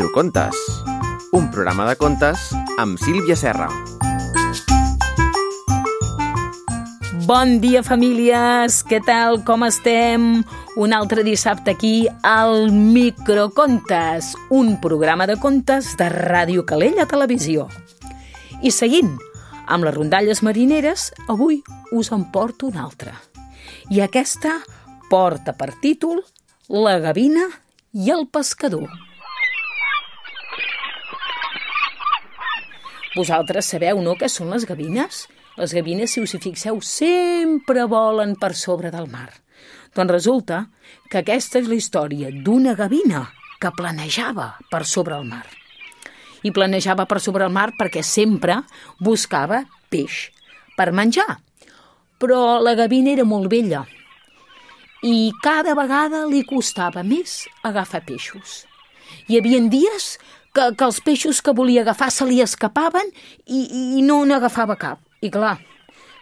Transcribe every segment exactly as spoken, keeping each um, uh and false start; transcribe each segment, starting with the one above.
Microcontes, un programa de contes amb Sílvia Serra. Bon dia, famílies! Què tal? Com estem? Un altre dissabte aquí al Microcontes, un programa de contes de Ràdio Calella Televisió. I seguint amb les rondalles marineres, avui us en porto una altra. I aquesta porta per títol La gavina i el pescador. Vosaltres sabeu, no, què són les gavines? Les gavines, si us hi fixeu, sempre volen per sobre del mar. Doncs resulta que aquesta és la història d'una gavina que planejava per sobre el mar. I planejava per sobre el mar perquè sempre buscava peix per menjar. Però la gavina era molt vella i cada vegada li costava més agafar peixos. Hi havia dies que, que els peixos que volia agafar se li escapaven i, i no n'agafava cap. I clar,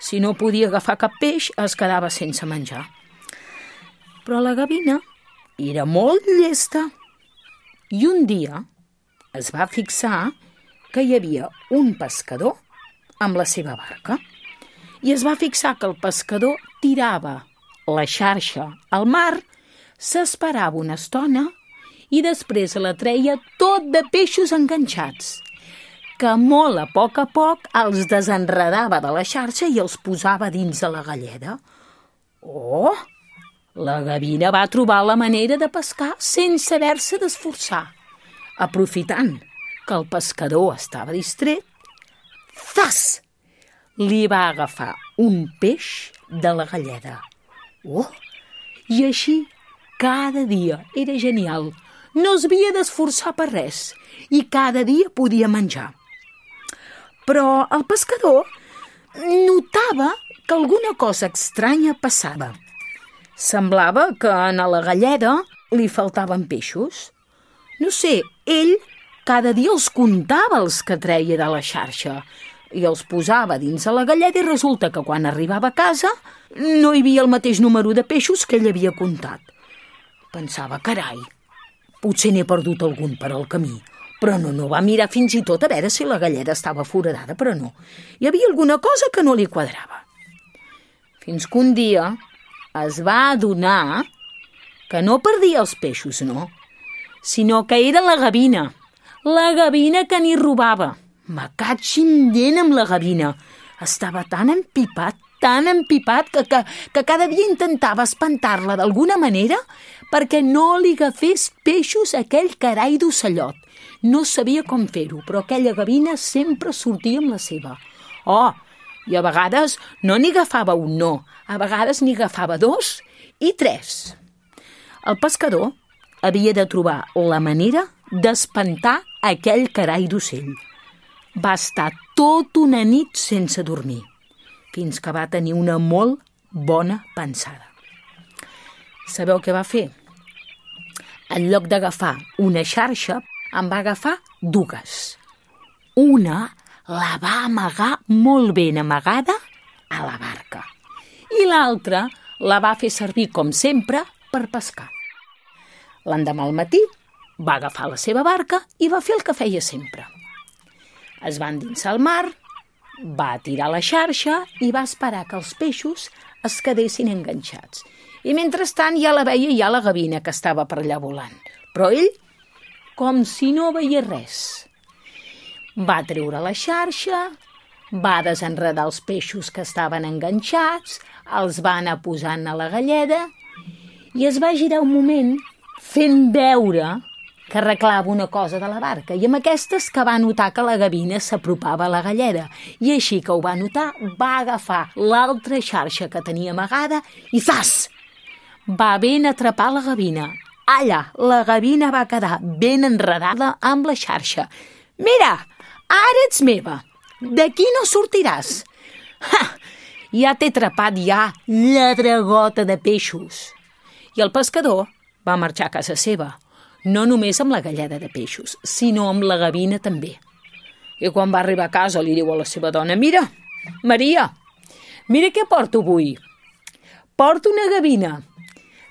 si no podia agafar cap peix, es quedava sense menjar. Però la gavina era molt llesta i un dia es va fixar que hi havia un pescador amb la seva barca i es va fixar que el pescador tirava la xarxa al mar, s'esperava una estona i després la treia tot de peixos enganxats, que molt a poc a poc els desenredava de la xarxa i els posava dins de la galleda. Oh! La gavina va trobar la manera de pescar sense haver-se d'esforçar. Aprofitant que el pescador estava distret, zas! Li va agafar un peix de la galleda. Oh! I així cada dia. Era genial. No es havia d'esforçar per res i cada dia podia menjar. Però el pescador notava que alguna cosa estranya passava. Semblava que a la galleda li faltaven peixos. No sé, ell cada dia els comptava els que treia de la xarxa i els posava dins de la galleda i resulta que quan arribava a casa no hi havia el mateix número de peixos que ell havia comptat. Pensava, carai, potser n'he perdut algun per al camí. Però no, no va mirar fins i tot a veure si la galleda estava foradada, però no. Hi havia alguna cosa que no li quadrava. Fins que un dia es va adonar que no perdia els peixos, no, sinó que era la gavina. La gavina que n'hi robava. Me catxin dent amb la gavina. Estava tan empipat, tan empipat, que, que, que cada dia intentava espantar-la d'alguna manera perquè no li agafés peixos a aquell carai d'ocellot. No sabia com fer-ho, però aquella gavina sempre sortia amb la seva. Oh, i a vegades no n'hi agafava un, no. A vegades n'hi agafava dos i tres. El pescador havia de trobar la manera d'espantar aquell carai d'ocell. Va estar tot una nit sense dormir, fins que va tenir una molt bona pensada. Sabeu què va fer? En lloc d'agafar una xarxa, en va agafar dues. Una la va amagar molt ben amagada a la barca i l'altra la va fer servir, com sempre, per pescar. L'endemà al matí va agafar la seva barca i va fer el que feia sempre. Es va endinsar al mar, va tirar la xarxa i va esperar que els peixos es quedessin enganxats. I mentrestant ja la veia ja la gavina que estava per allà volant. Però ell, com si no veia res. Va treure la xarxa, va desenredar els peixos que estaven enganxats, els va anar posant a la galleda i es va girar un moment fent veure que arreglava una cosa de la barca, i amb aquestes que va notar que la gavina s'apropava a la galleda, i així que ho va notar, va agafar l'altra xarxa que tenia amagada i zas! Va ben atrapar la gavina. Allà, la gavina va quedar ben enredada amb la xarxa. Mira, ara ets meva, d'aquí no sortiràs. Ha! Ja t'he atrapat ja, lladregota de peixos. I el pescador va marxar a casa seva, no només amb la galleda de peixos, sinó amb la gavina també. I quan va arribar a casa li diu a la seva dona, mira, Maria, mira què porto avui. Porto una gavina.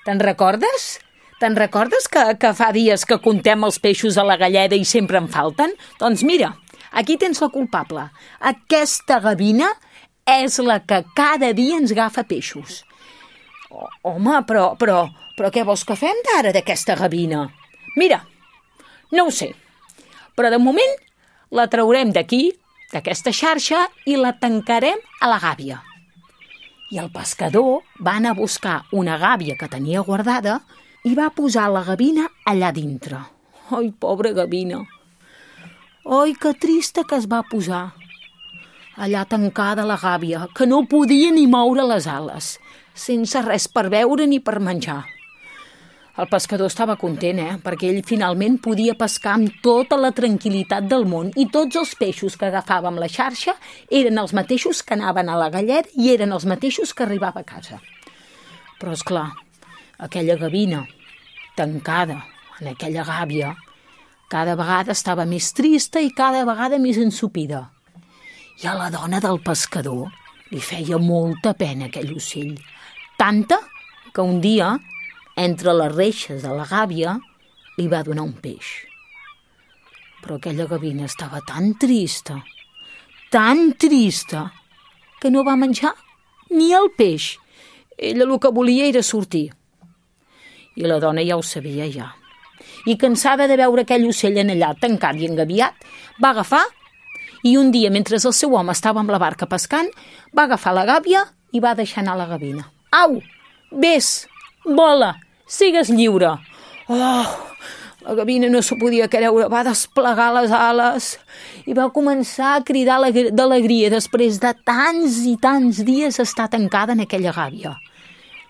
Te'n recordes? te'n recordes que, que fa dies que contem els peixos a la galleda i sempre en falten? Doncs mira, aquí tens la culpable. Aquesta gavina és la que cada dia ens agafa peixos. Oh, home, però, però, però què vols que fem d'ara d'aquesta gavina? Mira, no ho sé, però de moment la traurem d'aquí, d'aquesta xarxa, i la tancarem a la gàbia. I el pescador va anar a buscar una gàbia que tenia guardada i va posar la gavina allà dintre. Ai, pobra gavina! Ai, que trista que es va posar! Allà tancada a la gàbia, que no podia ni moure les ales, sense res per beure ni per menjar. El pescador estava content, eh? Perquè ell finalment podia pescar amb tota la tranquil·litat del món i tots els peixos que agafava amb la xarxa eren els mateixos que anaven a la galleda i eren els mateixos que arribava a casa. Però, esclar, aquella gavina, tancada en aquella gàbia, cada vegada estava més trista i cada vegada més ensopida. I a la dona del pescador li feia molta pena aquell ocell, tanta que un dia, entre les reixes de la gàbia, li va donar un peix. Però aquella gavina estava tan trista, tan trista, que no va menjar ni el peix. Ella el que volia era sortir. I la dona ja ho sabia, ja. I cansada de veure aquell ocell en allà tancat i engabiat, va agafar i un dia, mentre el seu home estava amb la barca pescant, va agafar la gàbia i va deixar anar la gavina. Au, vés, vola, sigues lliure. Oh, la gavina no s'ho podia creure, va desplegar les ales i va començar a cridar d'alegria després de tants i tants dies estar tancada en aquella gàbia.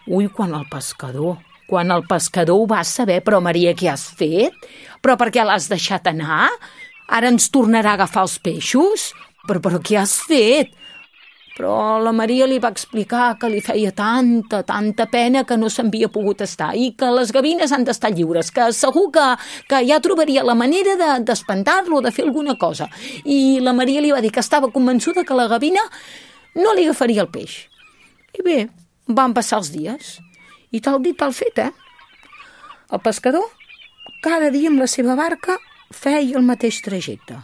Ui, quan el pescador, quan el pescador ho va saber, però Maria, què has fet? Però per què l'has deixat anar? Ara ens tornarà a agafar els peixos? Però, però què has fet? Però la Maria li va explicar que li feia tanta, tanta pena que no s'havia pogut estar i que les gavines han d'estar lliures, que segur que, que ja trobaria la manera de, d'espantar-lo, de fer alguna cosa. I la Maria li va dir que estava convençuda que la gavina no li agafaria el peix. I bé, van passar els dies. I tal dit, tal fet, eh? El pescador, cada dia amb la seva barca, feia el mateix trajecte.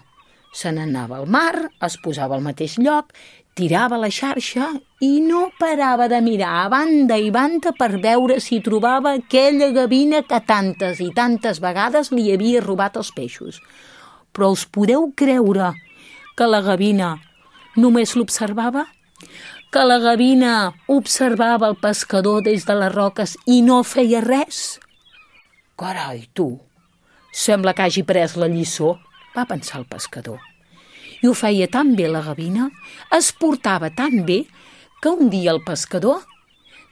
Se n'anava al mar, es posava al mateix lloc, tirava la xarxa i no parava de mirar a banda i banda per veure si trobava aquella gavina que tantes i tantes vegades li havia robat els peixos. Però us podeu creure que la gavina només l'observava? Que la gavina observava el pescador des de les roques i no feia res? Carai, tu, sembla que hagi pres la lliçó, va pensar el pescador. I ho feia tan bé la gavina, es portava tan bé, que un dia el pescador,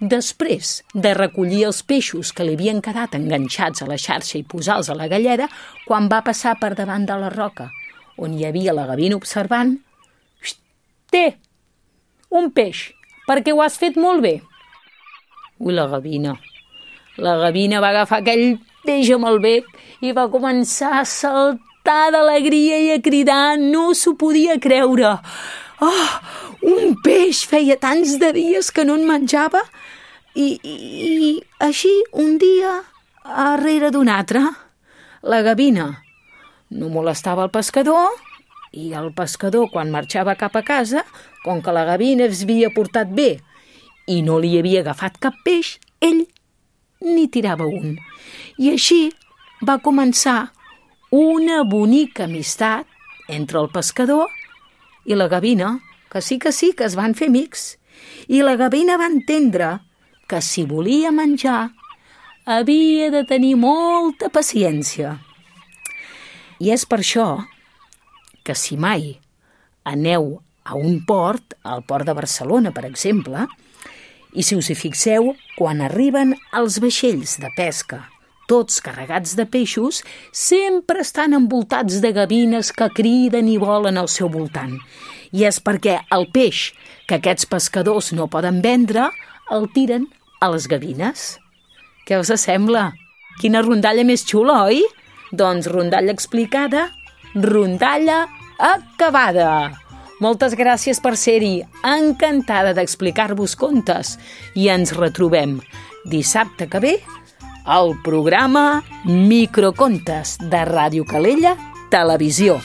després de recollir els peixos que li havien quedat enganxats a la xarxa i posar-los a la galleda, quan va passar per davant de la roca, on hi havia la gavina observant, té, un peix, perquè ho has fet molt bé. Ui, la gavina, la gavina va agafar aquell peix amb el bec i va començar a saltar d'alegria i a cridar, no s'ho podia creure. Oh, un peix, feia tants de dies que no en menjava i, i, i així un dia darrere d'un altre. La gavina no molestava el pescador i el pescador, quan marxava cap a casa, com que la gavina es havia portat bé i no li havia agafat cap peix, ell ni tirava un. I així va començar una bonica amistat entre el pescador i la gavina, que sí que sí, que es van fer amics. I la gavina va entendre que si volia menjar havia de tenir molta paciència. I és per això que si mai aneu a un port, al port de Barcelona, per exemple, i si us hi fixeu, quan arriben els vaixells de pesca, tots carregats de peixos, sempre estan envoltats de gavines que criden i volen al seu voltant. I és perquè el peix que aquests pescadors no poden vendre el tiren a les gavines. Què us sembla? Quina rondalla més xula, oi? Doncs rondalla explicada, rondalla acabada. Moltes gràcies per ser-hi, encantada d'explicar-vos contes i ens retrobem dissabte que ve el programa Microcontes de Ràdio Calella Televisió.